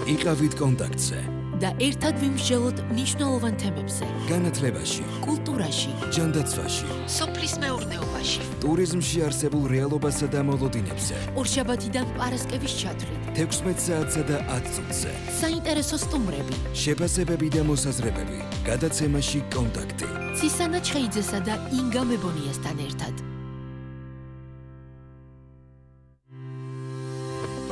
იყავით კონტაქტზე და ერთად ვიმსჯელოთ მნიშვნელოვან თემებზე. განათლებაში, კულტურაში, ჯანდაცვაში, სოფლის მეურნეობაში, ტურიზმში არსებულ რეალობასა და მოლოდინებზე. ორშაბათიდან პარასკევის ჩათვლით, 16 საათსა და 10 წუთზე. საინტერესო სტუმრები, შეფასებები და მოსაზრებები. გადაცემაში კონტაქტი. ცისანა ჩხეიძესა და ინგა მებონიასთან ერთად.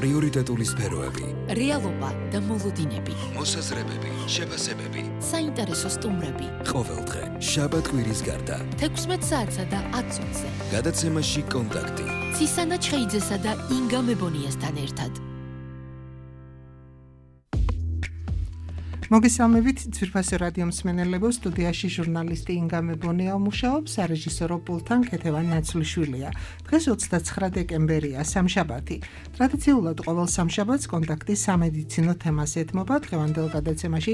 პრიორიტეტული სფეროები. რეალობა და მოლოდინები. მოსაზრებები, შეფასებები. საინტერესო სტუმრები. ყოველდღე, შაბათ-კვირის გარდა. 16 საათსა და 10 წუთზე. გადაცემაში კონტაქტი. ცისანა ჩხეიძესა და ინგა მებონიასთან ერთად. მოგესალმებით ძვირფასი რადიო მსმენელებო, სტუდიაში ჟურნალისტი ინგა მებონია მუშაობს, სარეჟისორო პულტთან ქეთევან ნაცვლიშვილია. დღეს 29 დეკემბერია, სამშაბათი. ტრადიციულად ყოველ სამშაბათს კონტაქტი სამედიცინო თემას ეთმობა. დღევანდელ გადაცემაში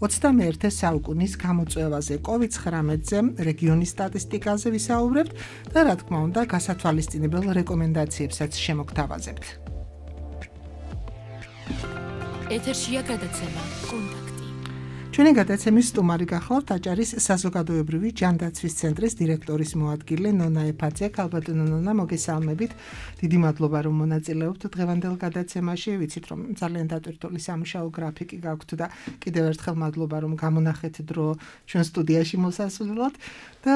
21 საუკუნის გამოწვევაზე, COVID-19-ზე, რეგიონის სტატისტიკაზე ვისაუბრებთ და რა თქმა უნდა, გასათვალისწინებელ რეკომენდაციებსაც შემოგთავაზებთ. ეთერშია გადაცემა კონტაქტი. ჩვენი გადაცემის სტუმარი გახლავთ აჭარის საზოგადოებრივი ჯანდაცვის ცენტრის დირექტორის მოადგილე ნონა ეფაძე. ქალბატონო ნონა, მოგესალმებით. დიდი მადლობა რომ მონაწილეობთ დღევანდელ გადაცემაში. ვიცით რომ ძალიან დატვირთული სამუშაო გრაფიკი გაქვთ და კიდევ ერთხელ მადლობა რომ გამონახეთ დრო ჩვენ სტუდიაში მოსასვლელად და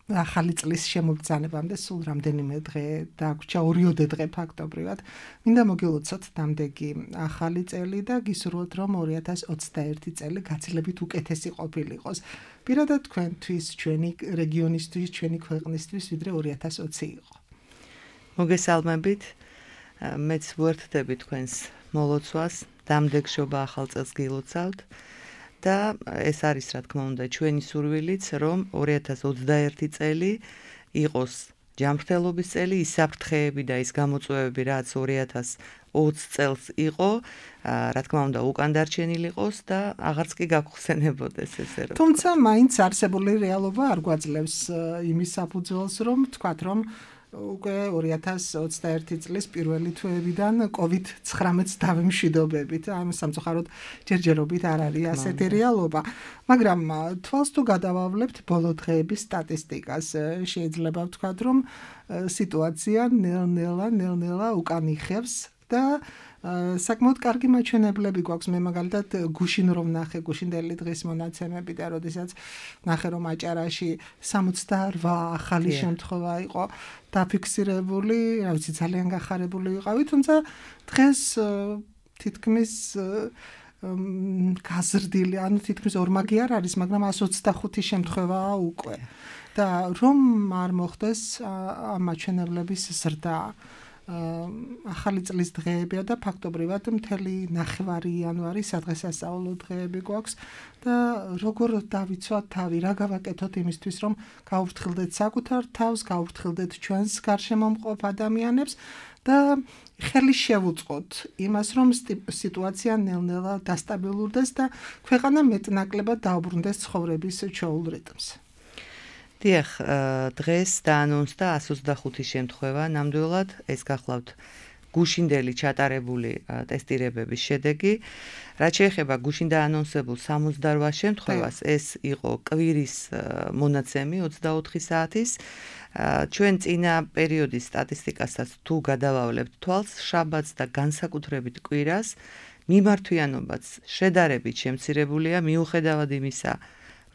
ახალი წლის შემოგბრძანებამდე სულ რამდენიმე დღე დაგვრჩა, 2 დღე ფაქტობრივად. მინდა მოგილოცოთ დამდეგი ახალი წელი და გისურვოთ რომ 2021 წელი გაცილებით უკეთესი ყოფილიყოს. პირადად თქვენთვის, ჩვენი რეგიონისთვის, ჩვენი ქვეყნისთვის, ვიდრე 2020 იყო. მოგესალმებით. მეც ვუერთდები თქვენს მოლოცვას, დამდეგშობა ახალ წელს გილოცავთ. და ეს არის რა თქმა უნდა ჩვენი სურვილიც, რომ 2021 წელი იყოს ჯანმრთელობის წელი, ის საფრთხეები და ის გამოწვევები, რაც 2020 წელს იყო, რა თქმა უნდა უკან დარჩენილი იყოს და აღარც კი გაგხსენებოდეს ესე რომ. თუმცა მაინც არსებული რეალობა არ გვაძლევს იმის საფუძველს, რომ თქვათ, რომ უკვე 2021 წლის პირველი თვეებიდან COVID-19-ს დავიმშვიდობებით. ამ სამწუხაროდ ჯერჯერობით არ არის ასეთი რეალობა. მაგრამ თვალს თუ გადავავლებთ ბოლო დღეების სტატისტიკას, შეიძლება ვთქვათ, რომ სიტუაცია ნელ-ნელა უკან იხევს და საკმაოდ კარგი მაჩვენებლები გვაქვს. მე მაგალითად გუშინ რომ ნახე გუშინდელი დღის მონაცემები და როდესაც ნახე რომ აჭარაში 68 ახალი შემთხვევა იყო დაფიქსირებული, რა ვიცი, ძალიან გახარებული ვიყავი, თუმცა დღეს თითქმის გაზრდილი, ანუ თითქმის ორმაგი არ არის, მაგრამ 125 შემთხვევაა უკვე. და რომ არ მოხდეს ამ მაჩვენებლების ზრდა ახალი წლის დღეებია და ფაქტობრივად მთელი ნახევარი იანვარი სადღესასწაულო დღეები გვაქვს და როგორ დავიცვათ თავი, რა გავაკეთოთ იმისთვის, რომ გავუფრთხილდეთ საკუთარ თავს, გავუფრთხილდეთ ჩვენს გარშემო მყოფ ადამიანებს და ხელი შევუწყოთ იმას, რომ სიტუაცია ნელ-ნელა დასტაბილურდეს და ქვეყანა მეტნაკლებად დაუბრუნდეს ცხოვრების ჩვეულ რიტმს. დიახ, დღეს დაანონსდა 125 შემთხვევა, ნამდვილად ეს გახლავთ გუშინდელი ჩატარებული ტესტირებების შედეგი. რაც შეეხება გუშინ დაანონსებულ 68 შემთხვევას, ეს იყო კვირის მონაცემი 24 საათის. ჩვენ წინა პერიოდის სტატისტიკასაც თუ გადავავლებთ თვალს, შაბათს და განსაკუთრებით კვირას, მიმართვიანობაც შედარებით შემცირებულია, მიუხედავად იმისა,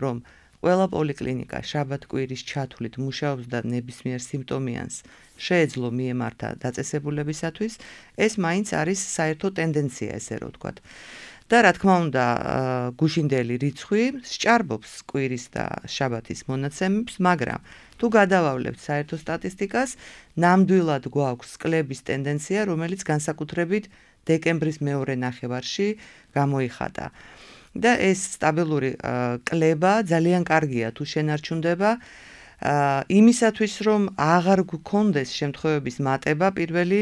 რომ ყველა პოლიკლინიკა შაბათ-კვირის ჩათვლით მუშაობს და ნებისმიერ სიმპტომიანს შეეძლო მიემართა დაწესებულებისათვის, ეს მაინც არის საერთო ტენდენცია, ესე რომ ვთქვათ. და რა თქმა უნდა, გუშინდელი რიცხვი სჭარბობს კვირის და შაბათის მონაცემებს, მაგრამ თუ გადავავლებთ საერთო სტატისტიკას, ნამდვილად გვაქვს კლების ტენდენცია, რომელიც განსაკუთრებით დეკემბრის მეორე ნახევარში გამოიხატა. და ეს სტაბილური კლება ძალიან კარგია თუ შენარჩუნდება იმისათვის რომ აღარ გქონდეს შემთხვევების მატება პირველი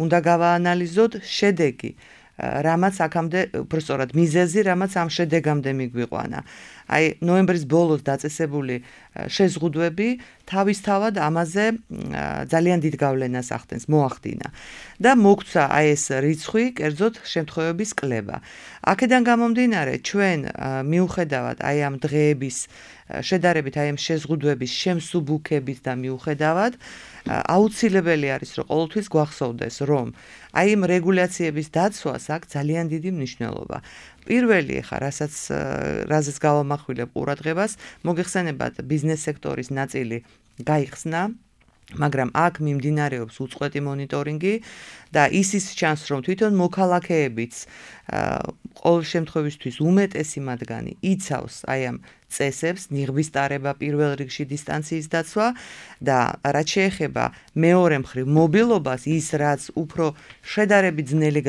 უნდა გავაანალიზოთ შედეგი რამაც აქამდე უბრალოდ მიზეზი რამაც ამ შედეგამდე მიგვიყვანა. აი ნოემბრის ბოლოს დაწესებული შეზღუდვები თავისთავად ამაზე ძალიან დიდ გავლენას ახდენს, მოახდინა და მოგცა აი ეს რიცხვი, კერძოდ შემთხვევების კლება. აქედან გამომდინარე, ჩვენ მიუხედავად აი ამ დღეების შედარებით აი ამ შეზღუდვების შემსუბუქებით და მიუხედავად აუცილებელი არის, რომ ყოველთვის გვახსოვდეს, რომ აი ამ რეგულაციების დაცვას აქვს ძალიან დიდი მნიშვნელობა. პირველი ხა, რაზეც გავამახვილებ ყურადღებას, მოგეხსენებათ ბიზნეს სექტორის ნაწილი გაიხსნა, მაგრამ აქ მიმდინარეობს უწყვეტი მონიტორინგი და ისიც ჩანს, რომ თვითონ მოქალაქეებიც ყოველ შემთხვევისთვის უმეტესი მათგანი იცავს აი ამ წესებს, ნიღბის ტარება, პირველ რიგში დისტანციის დაცვა და რაც შეეხება მეორე მხრივ მობილობას, ის რაც უფრო შედარებით ძნელი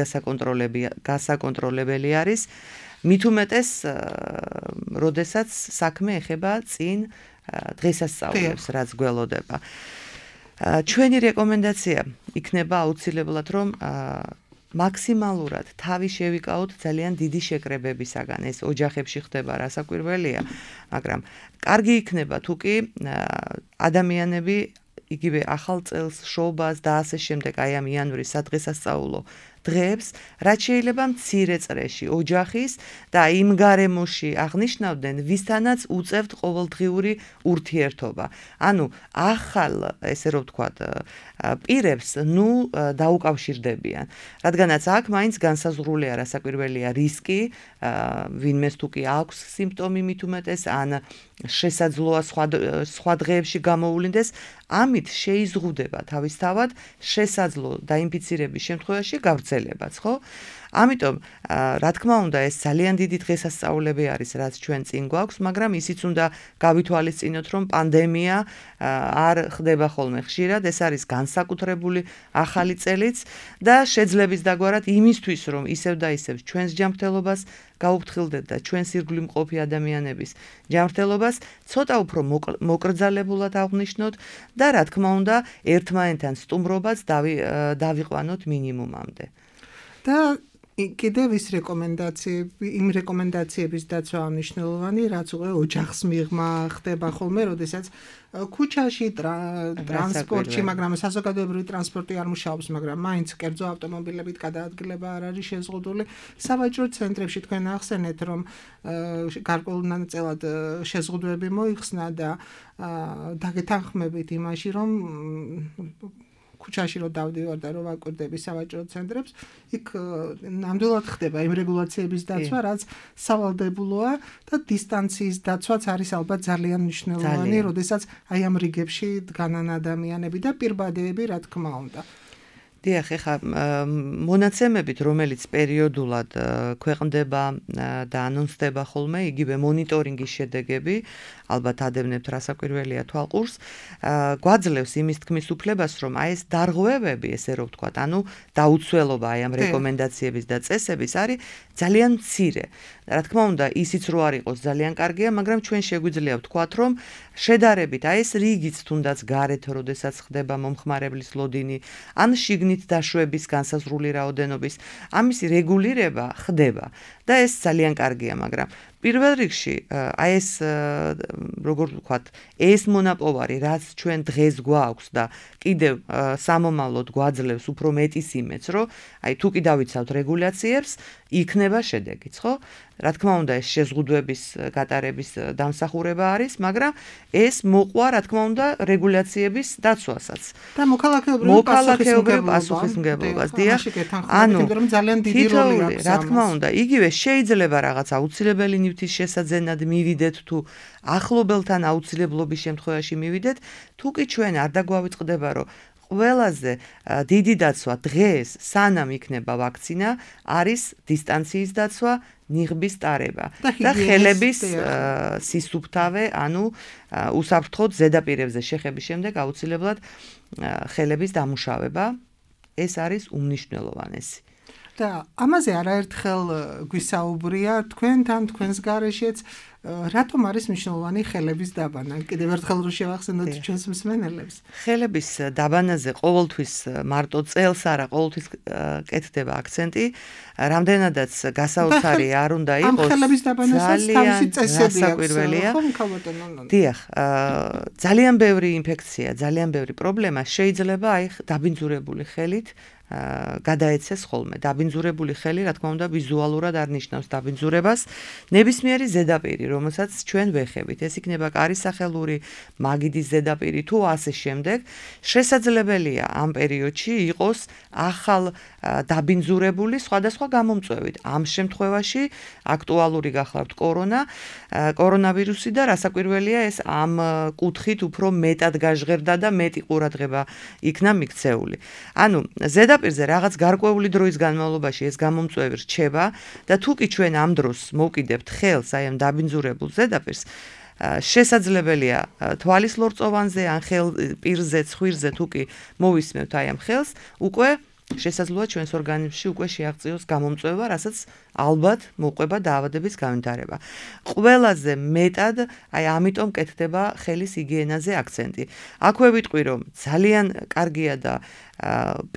გასაკონტროლებელი არის, მით უმეტეს, როდესაც საქმე ეხება წინ დღესასწაულებს, რაც გველოდება. ჩვენი რეკომენდაცია იქნება აუცილებლად, რომ მაქსიმალურად თავი შევიკავოთ ძალიან დიდი შეკრებებისაგან. ეს ოჯახებში ხდება, რასაკვირველია, მაგრამ კარგი იქნება თუ კი ადამიანები იგივე ახალ წელს, შობას და ასე შემდეგ, აი ამ იანვრის სადღესასწაულო დღეებს, რაც შეიძლება მცირე წრეში ოჯახის და იმ გარემოში აღნიშნავდნენ, ვისთანაც უწევთ ყოველდღიური ურთიერთობა. ანუ ახალ, ესე რომ ვთქვათ, პირებს დაუკავშირდებიან. რადგანაც აქ მაინც განსაზღვრულია, რასაკვირველია რისკი, ვინმეს თუ კი აქვს სიმპტომი მით უმეტეს, ან შესაძლოა სხვა დღეებში გამოუვლინდეს, ამით შეიზღუდება თავისთავად შესაძლო დაინფიცირების შემთხვევაში გავრცელებაც, ხო? ამიტომ, რა თქმა უნდა, ეს ძალიან დიდი დღესასწაულები არის, რაც ჩვენ წინ გვაქვს, მაგრამ ისიც უნდა გავითვალისწინოთ, რომ პანდემია არ ხდება ხოლმე ხშირად, ეს არის განსაკუთრებული ახალი წელიც და შეძლების დაგვარად იმისთვის, რომ ისევ და ისევ ჩვენს ჯანმრთელობას გაუფრთხილდეთ და ჩვენს ირგვლივ მყოფი ადამიანების ჯანმრთელობას ცოტა უფრო მოკრძალებულად აღვნიშნოთ და რა თქმა უნდა, ერთმანეთთან სტუმრობაც დავიყვანოთ მინიმუმამდე. და კიდევ ის იმ რეკომენდაციების დაცვა მნიშვნელოვანი, რაც უკვე ოჯახს მიღმა ხდება ხოლმე, როდესაც ქუჩაში, ტრანსპორტში, მაგრამ საზოგადოებრივი ტრანსპორტი არ მუშაობს, მაგრამ მაინც კერძო ავტომობილებით გადაადგილება არ არის შეზღუდული. სავაჭრო ცენტრებში თქვენ ახსენეთ, რომ გარკვეულწილად შეზღუდვები მოიხსნა და დაგეთანხმებით იმაში, რომ ქუჩაში რომ დავდივარ და რომ ვაკვირდები სავაჭრო ცენტრებს, იქ ნამდვილად ხდება იმ რეგულაციების დაცვა, რაც სავალდებულოა და დისტანციის დაცვაც არის ალბათ ძალიან მნიშვნელოვანი, როდესაც აი ამ რიგებში დგანან ადამიანები და პირბადეები, რა თქმა უნდა. დიახ, ეხა მონაცემებით, რომელიც პერიოდულად ქვეყნდება და ანონსდება ხოლმე, იგივე მონიტორინგის შედეგები, ალბათ ადევნებთ რასაკვირველია თვალყურს, გვაძლევს იმის თქმის უფლებას, რომ აი ეს დარღვევები, ესე რომ ვთქვათ, ანუ დაუცველობა აი ამ რეკომენდაციების და წესების არის ძალიან მცირე. რა თქმა უნდა, ისიც რო არ იყოს ძალიან კარგია, მაგრამ ჩვენ შეგვიძლია ვთქვათ, რომ შედარებით აი ეს რიგიც თუნდაც გარეთ, როდესაც ხდება მომხმარებლის ლოდინი, ან შიგნით დაშვების განსაზღვრული რაოდენობის, ამისი რეგულირება ხდება და ეს ძალიან კარგია, მაგრამ პირველ რიგში აი ეს როგორ ვთქვათ, ეს მონაპოვარი, რაც ჩვენ დღეს გვაქვს და კიდევ სამომავლოდ გვაძლევს უფრო მეტის იმედს, რომ აი თუ კი დავიცავთ რეგულაციებს, იქნება შედეგიც, ხო? რა თქმა უნდა, ეს შეზღუდვების გატარების დამსახურება არის, მაგრამ ეს მოყვა, რა თქმა უნდა, რეგულაციების დაცვასაც. და მოქალაქეობრივ პასუხისმგებლობას, დიახ. ანუ ძალიან დიდი როლი აქვს. რა თქმა უნდა, იგივე შეიძლება რაღაც აუცილებელი ნივთის შესაძენად მივიდეთ თუ ახლობელთან აუცილებლობის შემთხვევაში მივიდეთ, თუ კი ჩვენ არ დაგვავიწყდება, რომ ყველაზე დიდი დაცვა დღეს, სანამ იქნება ვაქცინა, არის დისტანციის დაცვა, ნიღბის ტარება და ხელების სისუფთავე, ანუ უსაფრთხოდ ზედაპირებზე შეხების შემდეგ აუცილებლად ხელების დამუშავება, ეს არის უმნიშვნელოვანესი. და ამაზე არაერთხელ გვისაუბრია თქვენთან, თქვენს გარეშეც, რატომ არის მნიშვნელოვანი ხელების დაბანა? კიდევ ერთხელ რო შევახსენოთ ჩვენს მსმენელებს. ხელების დაბანაზე ყოველთვის მარტო წელს არა, ყოველთვის კეთდება აქცენტი, რამდენადაც გასაოცარი არ უნდა იყოს. ამ ხელების დაბანასაც თავისი წესები საკვირველია. ხო, მქალბატონო. დიახ, ძალიან ბევრი ინფექცია, ძალიან ბევრი პრობლემა შეიძლება აი დაბინძურებული ხელით გადაეცეს ხოლმე. დაბინძურებული ხელი, რა თქმა უნდა, ვიზუალურად არ ნიშნავს დაბინძურებას. ნებისმიერი ზედაპირი, რომელსაც ჩვენ ვეხებით, ეს იქნება კარისახელური, მაგიდის ზედაპირი თუ ასე შემდეგ, შესაძლებელია ამ პერიოდში იყოს ახალ დაბინძურებული სხვადასხვა გამომწვევით. ამ შემთხვევაში აქტუალური გახლავთ კორონავირუსი და რასაკვირველია ეს ამ კუთხით უფრო მეტად გაჟღერდა და მეტი ყურადღება იქნა მიქცეული. ანუ ზედაპირზე რაღაც გარკვეული დროის განმავლობაში ეს გამომწვევი რჩება და თუ კი ჩვენ ამ დროს მოვკიდებთ ხელს აი ამ დაბინძურებულ ზედაპირს, შესაძლებელია თვალის ლორწოვანზე ან პირზე, ცხვირზე თუ კი მოვისმევთ აი ამ ხელს, უკვე შესაძლოა ჩვენს ორგანიზმში უკვე შეაღწიოს გამომწვევა, რასაც ალბათ მოყვება დაავადების განვითარება. ყველაზე მეტად აი ამიტომ კეთდება ხელის ჰიგიენაზე აქცენტი. აქვე ვიტყვი, რომ ძალიან კარგია და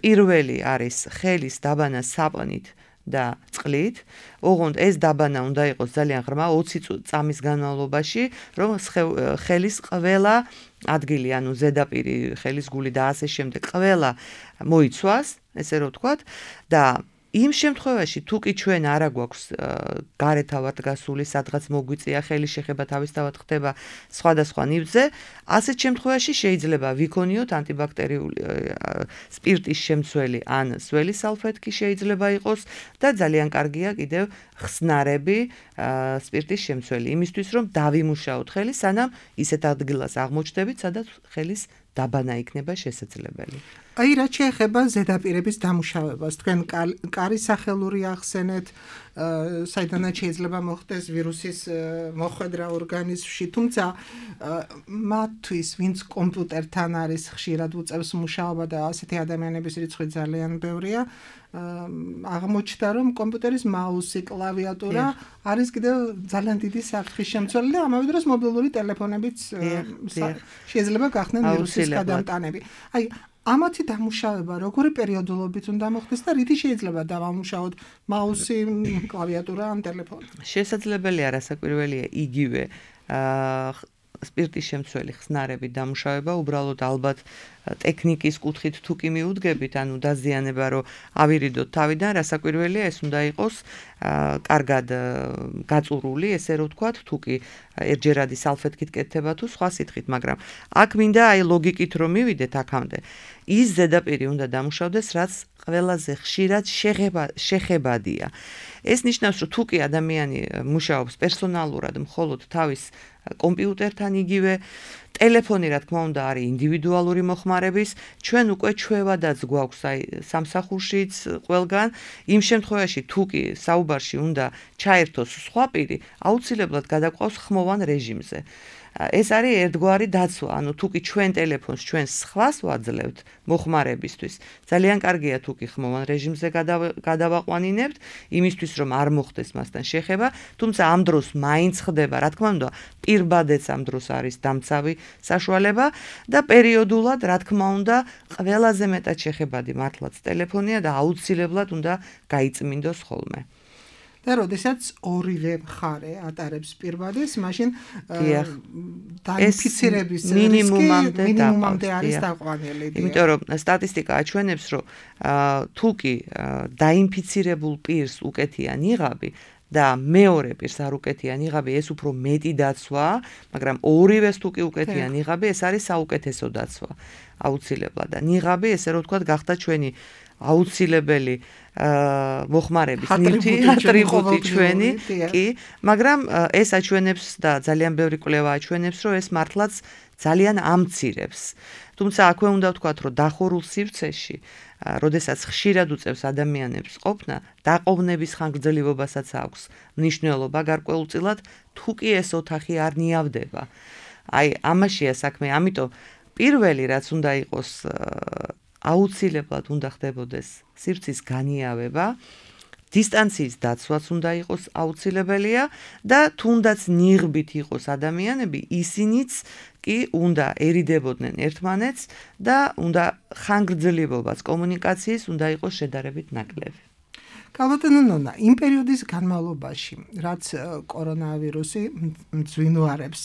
პირველი არის ხელის დაბანა საპნით და წყლით. ოღონდ ეს დაბანა უნდა იყოს ძალიან ღრმა 20 წამის განმავლობაში, რომ ხელის ყველა ადგილი, ანუ ზედაპირი, ხელის გული და ასე შემდეგ, ყველა მოიცვას, ესე რომ ვთქვათ, და იმ შემთხვევაში თუ კი ჩვენ არა გვაქვს გარეთავად გასული, სადღაც მოგვიწია ხელი შეხება თავისთავად ხდება სხვადასხვა ნივთზე, ასეთ შემთხვევაში შეიძლება ვიქონიოთ ანტიბაქტერიული სპირტის შემცველი ან სველი სალფეტკი შეიძლება იყოს და ძალიან კარგია კიდევ ხსნარები სპირტის შემცველი, იმისთვის რომ დავიმუშაოთ ხელი, სანამ ისეთ ადგილას აღმოჩნდებით, სადაც ხელის დაბანა იქნება შესაძლებელი. აი რა შეეხება ზედაპირების დამუშავებას, თქვენ კარისახელური ახსენეთ, საიდანაც შეიძლება მოხდეს ვირუსის მოხვედრა ორგანიზმში, თუმცა მათთვის, ვინც კომპიუტერთან არის ხშირად უწევს მუშაობა და ასეთი ადამიანების რიცხვი ძალიან ბევრია, აღმოჩნდა, რომ კომპიუტერის მაუსი, კლავიატურა არის კიდევ ძალიან დიდი საფრთხის შემცველი და ამავე დროს მობილური ტელეფონებიც შეიძლება გახდნენ ვირუსის გადამტანები. აი ამათი დამუშავება როგორი პერიოდულობით უნდა მოხდეს და რითი შეიძლება დავამუშაოთ მაუსი, კლავიატურა ან ტელეფონი? შესაძლებელია რასაკვირველია იგივე სპირტის შემცველი ხსნარები დამუშავება, უბრალოდ ალბათ ტექნიკის კუთხით თუ კი მიუდგებით, ანუ დაზიანება რომ ავირიდოთ თავიდან, რასაკვირველია ეს უნდა იყოს კარგად გაწურული, ესე რომ ვთქვათ, თუ კი ერთჯერადი სალფეტკით კეთდება თუ სხვა სითხით, მაგრამ აქ მინდა აი ლოგიკით რომ მივიდეთ აქამდე. ის ზედაპირი უნდა დამუშავდეს, რაც ყველაზე ხშირად შეხებადია. ეს ნიშნავს, რომ თუ კი ადამიანი მუშაობს პერსონალურად მხოლოდ თავის კომპიუტერთან იგივე ტელეფონი რა თქმა უნდა არის ინდივიდუალური მოხმარების, ჩვენ უკვე ჩვევადაც გვაქვს აი სამსახურშიც ყველგან, იმ შემთხვევაში თუ კი საუბარში უნდა ჩაერთოს სხვა პირი, აუცილებლად გადაყვავს ხმოვან რეჟიმზე. ეს არის ერთგვარი დაცვა, ანუ თუ კი ჩვენ ტელეფონს ჩვენ სხვას ვაძლევთ მოხმარებისთვის, ძალიან კარგია თუ კი ხმოვან რეჟიმზე გადავაყვანინებთ, იმისთვის რომ არ მოხდეს მასთან შეხება, თუმცა ამ დროს მაინც ხდება, რა თქმა უნდა, პირბადეც ამ დროს არის დამცავი საშუალება და პერიოდულად, რა თქმა უნდა, ყველაზე მეტად შეხებადი მართლაც ტელეფონია და აუცილებლად უნდა გაიწმინდოს ხოლმე. და როდესაც ორივე მხარე ატარებს პირბადეს, მაშინ დაინფიცირების მინიმუმამდე არის დაყვანილი. იმიტომ რომ სტატისტიკა აჩვენებს, რომ თუ კი დაინფიცირებულ პირს უკეთია ნიღაბი და მეორე პირს არ უკეთია ნიღაბი, ეს უფრო მეტი დაცვაა, მაგრამ ორივეს თუ კი უკეთია ნიღაბი, ეს არის საუკეთესო დაცვა. აუცილებლად და ნიღაბი, ესე რომ ვთქვათ, გახდა ჩვენი აუცილებელი მოხმარების ნივთი, ატრიბუტი ჩვენი, კი, მაგრამ ეს აჩვენებს და ძალიან ბევრი კვლევა აჩვენებს, რომ ეს მართლაც ძალიან ამცირებს. თუმცა აქვე უნდა ვთქვათ, რომ დახურულ სივრცეში, როდესაც ხშირად უწევს ადამიანებს ყოფნა, დაყოვნების ხანგრძლივობასაც აქვს მნიშვნელობა გარკვეულწილად, თუ კი ეს ოთახი არ ნიავდება. აი, ამაშია საქმე, ამიტომ პირველი რაც უნდა იყოს აუცილებლად უნდა ხდებოდეს სივრცის განიავება, დისტანციის დაცვაც უნდა იყოს აუცილებელია და თუნდაც ნიღბით იყოს ადამიანები, ისინიც კი უნდა ერიდებოდნენ ერთმანეთს და უნდა ხანგრძლივობაც კომუნიკაციის უნდა იყოს შედარებით ნაკლები. კალბატონო ნონა, იმ პერიოდის განმავლობაში, რაც კორონავირუსი მძვინვარებს,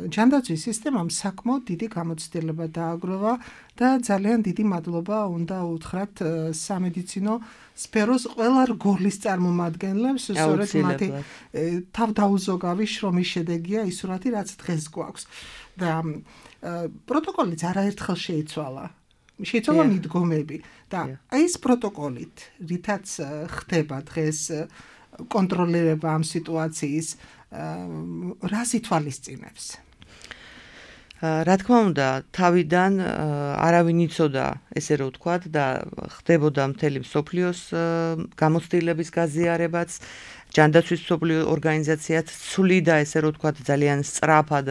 ჯანდაცვის სისტემამ საკმაოდ დიდი გამოცდილება დააგროვა და ძალიან დიდი მადლობა უნდა უთხრათ სამედიცინო სფეროს ყველა რგოლის წარმომადგენლებს, სწორედ მათი თავდაუზოგავი შრომის შედეგია ის სურათი, რაც დღეს გვაქვს. და პროტოკოლიც არაერთხელ შეიცვალა. შეიცვალა მიდგომები და ეს პროტოკოლით, რითაც ხდება დღეს კონტროლირება ამ სიტუაციის, რას ითვალისწინებს? რა თქმა უნდა, თავიდან არავინ იცოდა, ესე რომ ვთქვათ, და ხდებოდა მთელი მსოფლიოს გამოცდილების გაზიარებაც, ჯანდაცვის მსოფლიო ორგანიზაციაც ცვლიდა, ესე რომ ვთქვათ, ძალიან სწრაფად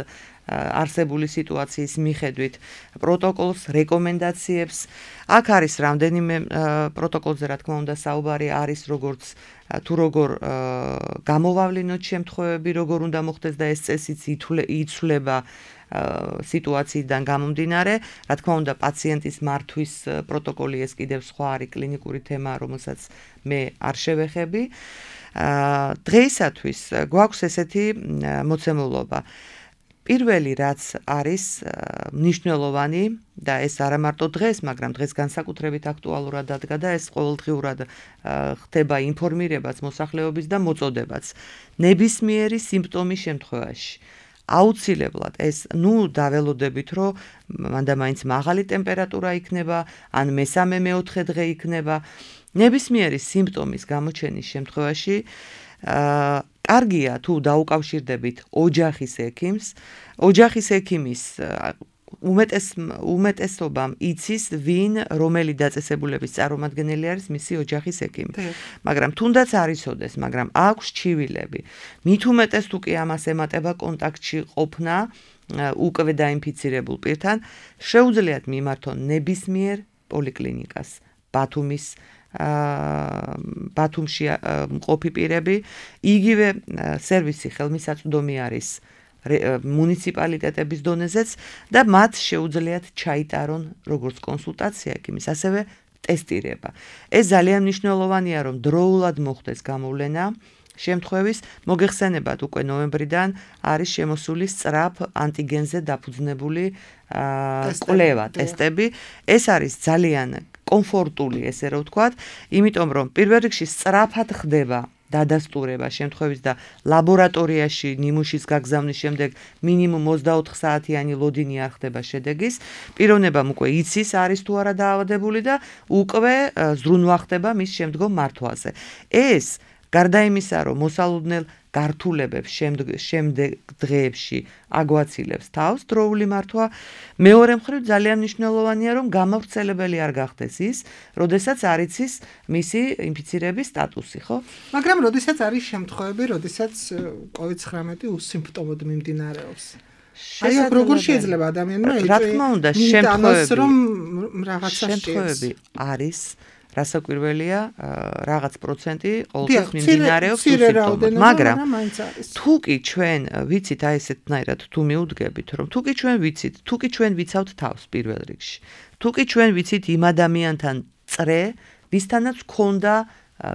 არსებული სიტუაციის მიხედვით პროტოკოლს, რეკომენდაციებს. აქ არის რამდენიმე პროტოკოლზე, რა თქმა უნდა, საუბარი არის როგორც თუ როგორ გამოვავლინოთ შემთხვევები, როგორ უნდა მოხდეს და ეს წესიც იცვლება სიტუაციიდან გამომდინარე. რა თქმა უნდა, პაციენტის მართვის პროტოკოლი ეს კიდევ სხვა არის კლინიკური თემა, რომელსაც მე არ შევეხები. დღეისათვის გვაქვს ესეთი მოცემულობა. პირველი რაც არის მნიშვნელოვანი და ეს არა მარტო დღეს, მაგრამ დღეს განსაკუთრებით აქტუალურად დადგა და ეს ყოველდღიურად ხდება ინფორმირებაც მოსახლეობის და მოწოდებაც. ნებისმიერი სიმპტომის შემთხვევაში აუცილებლად ეს დაველოდებით, რომ მანდ-მაინც მაღალი ტემპერატურა იქნება, ან მესამე-მეოთხე დღე იქნება. ნებისმიერი სიმპტომის გამოჩენის შემთხვევაში კარგია თუ დაუკავშირდებით ოჯახის ექიმს. ოჯახის ექიმის უმეტესობამ იცის, ვინ რომელი დაწესებულების წარმომადგენელი არის მისი ოჯახის ექიმი. მაგრამ თუნდაც არ იცოდეს, მაგრამ აქვს ჩივილები. მით უმეტეს თუ კი ამას ემატება კონტაქტში ყოფნა უკვე დაინფიცირებულ პირთან, შეუძლიათ მიმართონ ნებისმიერ პოლიკლინიკას, ბათუმში მყოფი პირები, იგივე სერვისი ხელმისაწვდომი არის მუნიციპალიტეტების დონეზეც და მათ შეუძლიათ ჩაიტარონ როგორც კონსულტაცია ექიმის, ასევე ტესტირება. ეს ძალიან მნიშვნელოვანია, რომ დროულად მოხდეს გამოვლენა შემთხვევის. მოგეხსენებათ, უკვე ნოემბრიდან არის შემოსული სწრაფ ანტიგენზე დაფუძნებული კვლევა, ტესტები. ეს არის ძალიან კომფორტული, ესე რომ ვთქვათ, იმიტომ რომ პირველ რიგში სწრაფად ხდება დადასტურება შემთხვევის და ლაბორატორიაში ნიმუშის გაგზავნის შემდეგ მინიმუმ 24 საათიანი ლოდინი არ ხდება შედეგის. პიროვნებამ უკვე იცის, არის თუ არა დაავადებული და უკვე ზრუნვა ხდება მის შემდგომ მართვაზე. ეს გარდა იმისა, რომ მოსალოდნელ გართულებებს შემდეგ დღეებში აგვაცილებს თავს დროული მართვა, მეორე მხრივ ძალიან მნიშვნელოვანია, რომ გამავრცელებელი არ გახდეს ის, როდესაც არ იცის მისი ინფიცირების სტატუსი, ხო? მაგრამ როდესაც არის შემთხვევები, როდესაც COVID-19 უსიმპტომოდ მიმდინარეობს. აი, როგორ შეიძლება ადამიანმა რა თქმა უნდა, შემთხვევები არის რასაკვირველია, რაღაც პროცენტი ყოველთვის მიმდინარეობს სიმპტომად, მაგრამ თუ კი ჩვენ ვიცით აი ესეთნაირად თუ მიუდგებით, რომ თუ კი ჩვენ ვიცით, თუ კი ჩვენ ვიცავთ თავს პირველ რიგში, თუ კი ჩვენ ვიცით იმ ადამიანთან წრე, ვისთანაც ჰქონდა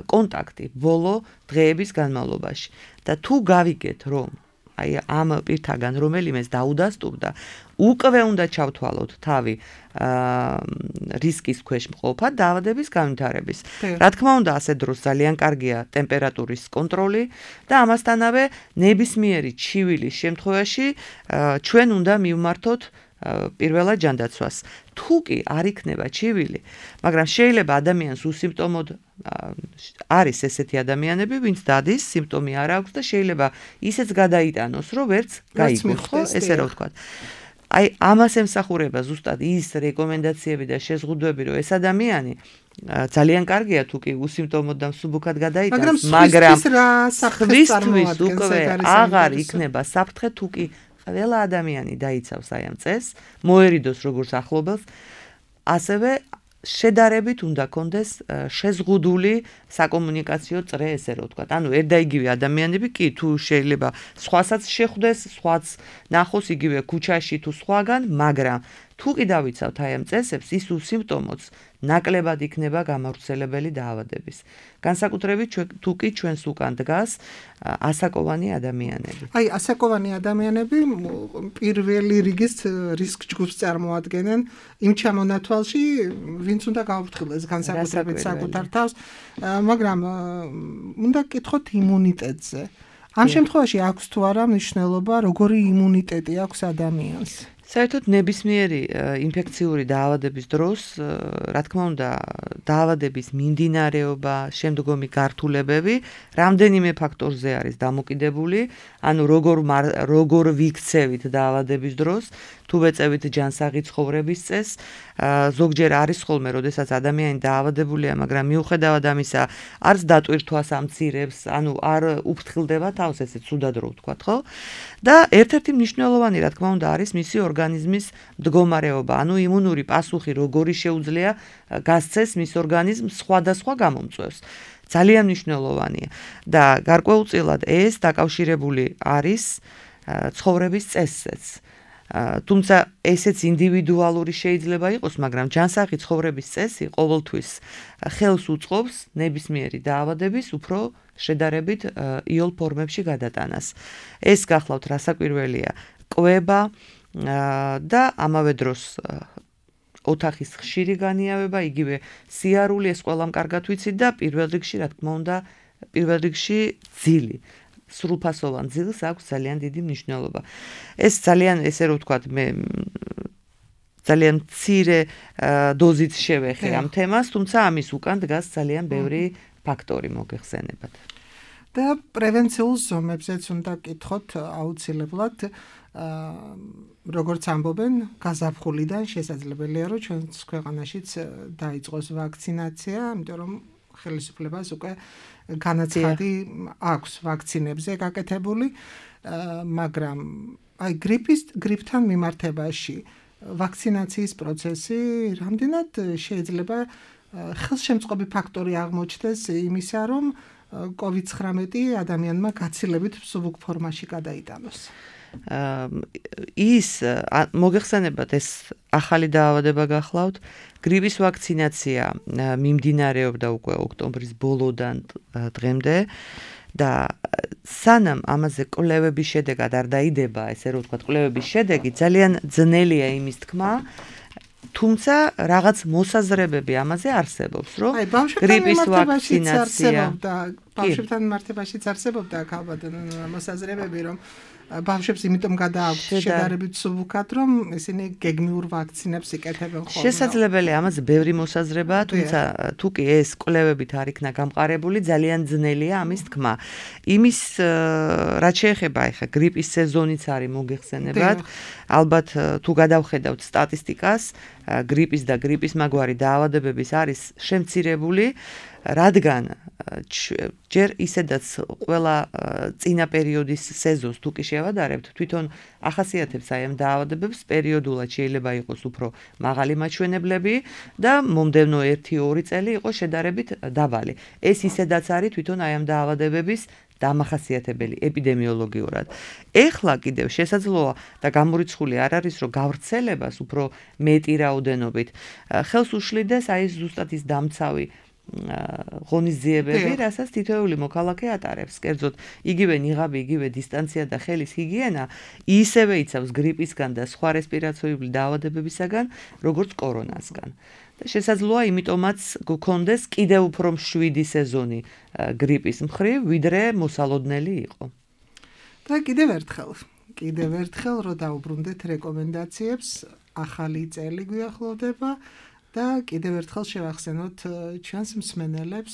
კონტაქტი ბოლო დღეების განმავლობაში და თუ გავიგეთ, რომ აი ამ პირთაგან რომელიმეს დაუდასტურდა, უკვე უნდა ჩავთვალოთ თავი რისკის ქვეშ მყოფა დაავადების განვითარების. რა თქმა უნდა, ასე დროს ძალიან კარგია ტემპერატურის კონტროლი და ამასთანავე ნებისმიერი ჩივილის შემთხვევაში ჩვენ უნდა მივმართოთ პირველად ჯანდაცვას. თუ კი არ იქნება ჩივილი, მაგრამ შეიძლება ადამიანს უსიმპტომოდ არის ესეთი ადამიანები, ვინც დადის, სიმპტომი არ აქვს და შეიძლება ისეც გადაიტანოს, რომ ვერც გაიგოს, ხო, ესე რა ვთქვათ. აი, ამას ემსახურება ზუსტად ის რეკომენდაციები და შეზღუდვები, რომ ეს ადამიანი ძალიან კარგია თუ კი უსიმპტომოდ და მსუბუქად გადაიტანოს, მაგრამ სხვისთვის უკვე აღარ იქნება საფრთხე თუ კი ყველა ადამიანი დაიცავს აი ამ წესს, მოერიდოს როგორც ახლობელს, ასევე შედარებით უნდა კონდეს შეზღუდული საკომუნიკაციო წრე, ესე რომ ვთქვათ. ანუ ერთ და იგივე ადამიანები კი თუ შეიძლება სხვასაც შეხვდეს, სხვაც ნახოს იგივე ქუჩაში თუ სხვაგან, მაგრამ თუ კი დავიცავთ აი ამ წესებს, ის უსიმპტომოც ნაკლებად იქნება გამავრცელებელი დაავადების. განსაკუთრებით თუ კი ჩვენს უკან დგას ასაკოვანი ადამიანები. აი, ასაკოვანი ადამიანები პირველი რიგის რისკ ჯგუფს წარმოადგენენ იმ ჩამონათვალში, ვინც უნდა გაუფრთხილდეს განსაკუთრებით საკუთარ თავს, მაგრამ უნდა კითხოთ იმუნიტეტზე. ამ შემთხვევაში აქვს თუ არა მნიშვნელობა, როგორი იმუნიტეტი აქვს ადამიანს? საერთოდ ნებისმიერი ინფექციური დაავადების დროს, რა თქმა უნდა, დაავადების მიმდინარეობა, შემდგომი გართულებები რამდენიმე ფაქტორზე არის დამოკიდებული, ანუ როგორ ვიქცევით დაავადების დროს, თუ ვეწევით ჯანსაღი ცხოვრების წესს, ზოგჯერ არის ხოლმე, როდესაც ადამიანი დაავადებულია, მაგრამ მიუხედავად ამისა, არც დატვირთვას ამცირებს, ანუ არ უფრთხილდება თავს, ესე ცუდად რო ვთქვათ, ხო? და ერთ-ერთი მნიშვნელოვანი, რა თქმა უნდა, არის მისი ორგანიზმის მდგომარეობა, ანუ იმუნური პასუხი როგორი შეუძლია გასცეს მის ორგანიზმს სხვადასხვა გამომწვევს. ძალიან მნიშვნელოვანია და გარკვეულწილად ეს დაკავშირებული არის ცხოვრების წესზეც. თუმცა ესეც ინდივიდუალური შეიძლება იყოს, მაგრამ ჯანსაღი ცხოვრების წესი ყოველთვის ხელს უწყობს ნებისმიერი დაავადების უფრო შედარებით იოლ ფორმებში გადატანას. ეს გახლავთ რასაკვირველია, კვება და ამავე დროს ოთახის ხშირი განიავება, იგივე სიარული, ეს ყველამ კარგად ვიცით და პირველ რიგში ძილი. სრულფასოვან ძილს აქვს ძალიან დიდი მნიშვნელობა. ეს ძალიან, ესე რომ ვთქვათ, მე ძალიან მცირე დოზით შევეხე ამ თემას, თუმცა ამის უკან დგას ძალიან ბევრი ფაქტორი მოგეხსენებათ. და პრევენციულ ზომებზეც უნდა კითხოთ აუცილებლად, როგორც ამბობენ, გაზაფხულიდან შესაძლებელია, რომ ჩვენს ქვეყანაშიც დაიწყოს ვაქცინაცია, იმიტომ რომ ხელისუფლებას უკვე განაცხადი აქვს ვაქცინებზე გაკეთებული, მაგრამ აი გრიპთან მიმართებაში ვაქცინაციის პროცესი რამდენად შეიძლება ხელშემწყობი ფაქტორი აღმოჩნდეს იმისა, რომ COVID-19 ადამიანმა გაცილებით მსუბუქ ფორმაში გადაიტანოს. ის მოგეხსენებათ, ეს ახალი დაავადება გახლავთ, გრიპის ვაქცინაცია მიმდინარეობდა უკვე ოქტომბრის ბოლოდან დღემდე და სანამ ამაზე კვლევების შედეგად არ დაიდება, ესე რომ ვთქვათ, კვლევების შედეგი ძალიან ძნელია იმის თქმა, თუმცა რაღაც მოსაზრებები ამაზე არსებობს, რომ გრიპის ვაქცინაცია ბავშვებთან მიმართებაშიც არსებობდა ალბათ მოსაზრებები, რომ ბავშვებს იმიტომ გადააქვთ შედარებით მსუბუქად, რომ ისინი გეგმიურ ვაქცინებს იკეთებენ ხოლმე. შესაძლებელია ამაზე ბევრი მოსაზრებაა, თუმცა თუ კი ეს კვლევებით არ იქნა გამყარებული, ძალიან ძნელია ამის თქმა. იმის რაც შეეხება ახლა გრიპის სეზონიც არის მოგეხსენებათ, ალბათ თუ გადავხედავთ სტატისტიკას, გრიპის და გრიპის მაგვარი დაავადებების არის შემცირებული, რადგან ჯერ ისედაც ყველა წინა პერიოდის სეზონს თუ კი შევადარებთ, თვითონ ახასიათებს აი ამ დაავადებებს პერიოდულად შეიძლება იყოს უფრო მაღალი მაჩვენებლები და მომდევნო 1-2 წელი იყოს შედარებით დაბალი. ეს ისედაც არის თვითონ აი ამ დაავადებების დამახასიათებელი ეპიდემიოლოგიურად. ეხლა კიდევ შესაძლოა და გამორიცხული არ არის, რომ გავრცელებას უფრო მეტი რაოდენობით ხელს უშლიდეს აი ზუსტად ის დამცავი ღონისძიებები, რასაც თითოეული მოქალაქე ატარებს. კერძოდ, იგივე ნიღაბი, იგივე დისტანცია და ხელის ჰიგიენა ისევე იცავს გრიპისგან და სხვა რესპირაციული დაავადებებისაგან, როგორც კორონასგან. და შესაძლოა იმიტომაც გქონდეს კიდევ უფრო მშვიდი სეზონი გრიპის მხრივ, ვიდრე მოსალოდნელი იყო. და კიდევ ერთხელ რომ დაუბრუნდეთ რეკომენდაციებს, ახალი წელი გვიახლოვდება და კიდევ ერთხელ შევახსენოთ ჩვენს მსმენელებს,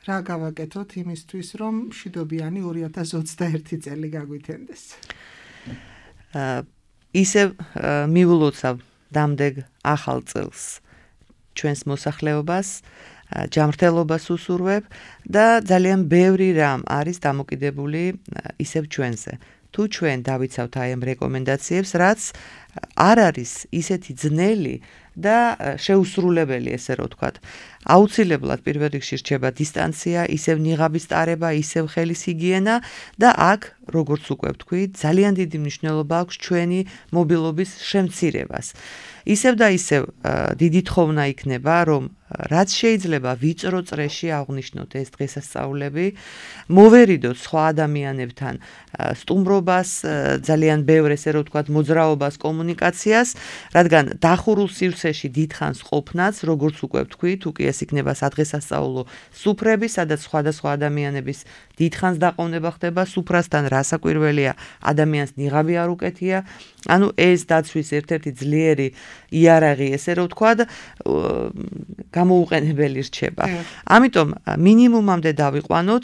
რა გავაკეთოთ იმისთვის, რომ მშვიდობიანი 2021 წელი გაგვითენდეს. ისევ მიულოცავ დამდეგ ახალ წელს ჩვენს მოსახლეობას, ჯანმრთელობას უსურვებ და ძალიან ბევრი რამ არის დამოკიდებული ისევ ჩვენზე. თუ ჩვენ დავიცავთ აი ამ რეკომენდაციებს, რაც არ არის ისეთი ძნელი, და შეუსრულებელი, ესე რომ ვთქვათ. აუცილებლად პირველ რიგში რჩება დისტანცია, ისევ ნიღაბის ტარება, ისევ ხელის ჰიგიენა და აქ, როგორც უკვე ვთქვი, ძალიან დიდი მნიშვნელობა აქვს ჩვენი მობილობის შემცირებას. ისევ და ისევ დიდი თხოვნა იქნება, რომ რაც შეიძლება ვიწრო წრეში აღვნიშნოთ ეს დღესასწაულები, მოვერიდოთ სხვა ადამიანებთან სტუმრობას, ძალიან ბევრ ესე რომ ვთქვათ, მოძრაობას, კომუნიკაციას, რადგან დახურულ სივრცეში დიდხანს ყოფნაც, როგორც უკვე ვთქვი, თუ კი ეს იქნება სადღესასწაულო სუფრები, სადაც სხვადასხვა ადამიანების დიდხანს დაყოვნება ხდება სუფრასთან, რასაკვირველია, ადამიანს ნიღაბი არ უკეთია. ანუ ეს დაცვის ერთ-ერთი ძლიერი იარაღი, ესე რომ ვთქვათ, გამოუყენებელი რჩება. ამიტომ მინიმუმამდე დავიყვანოთ,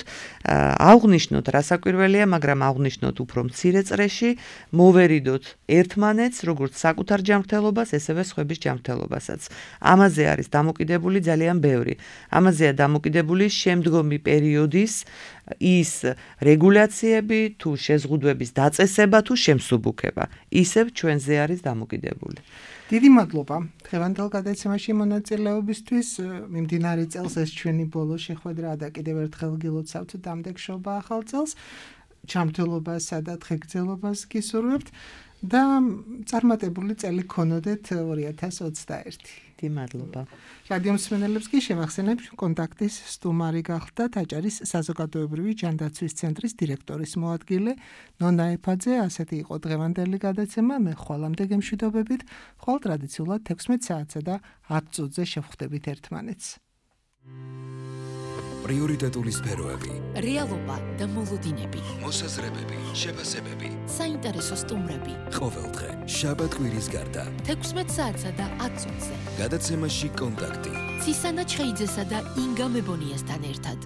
აღვნიშნოთ რასაკვირველია, მაგრამ აღვნიშნოთ უფრო მცირე წრეში, მოვერიდოთ ერთმანეთს, როგორც საკუთარ ჯანმრთელობას, ესევე სხვების ჯანმრთელობასაც. ამაზე არის დამოკიდებული ძალიან ბევრი. ამაზეა დამოკიდებული შემდგომი პერიოდის ის რეგულაციები, თუ შეზღუდვების დაწესება, თუ შემსუბუქება. ისევ ჩვენზე არის დამოკიდებული. დიდი მადლობა დღევანდელ გადაცემაში მონაწილეობისთვის. მიმდინარე წელს ეს ჩვენი ბოლო შეხვედრა და კიდევ ერთხელ გილოცავთ დამდეგშობა ახალ წელს. ჯანმრთელობასა და დღეგრძელობას გისურვებთ და წარმატებული წელი გქონოდეთ 2021. დიდი მადლობა. რადიო მსმენელებს კი შევახსენებ, კონტაქტის სტუმარი გახლდათ ტაჭარის საზოგადოებრივი ჯანდაცვის ცენტრის დირექტორის მოადგილე ნონა ეფაძე. ასეთი იყო დღევანდელი გადაცემა. მე ხვალამდე გემშვიდობებით. ხვალ ტრადიციულად 16 საათსა და 10 წუთზე შევხვდებით ერთმანეთს. პრიორიტეტული სფეროები, რეალობა და მოლოდინები, მოსაზრებები, შეფასებები, საინტერესო სტუმრები. ყოველდღე, შაბათ-კვირის გარდა. 16 საათსა და 10 წუთზე. გადაცემაში კონტაქტი. ცისანა ჩხეიძესა და ინგა მებონიასთან ერთად.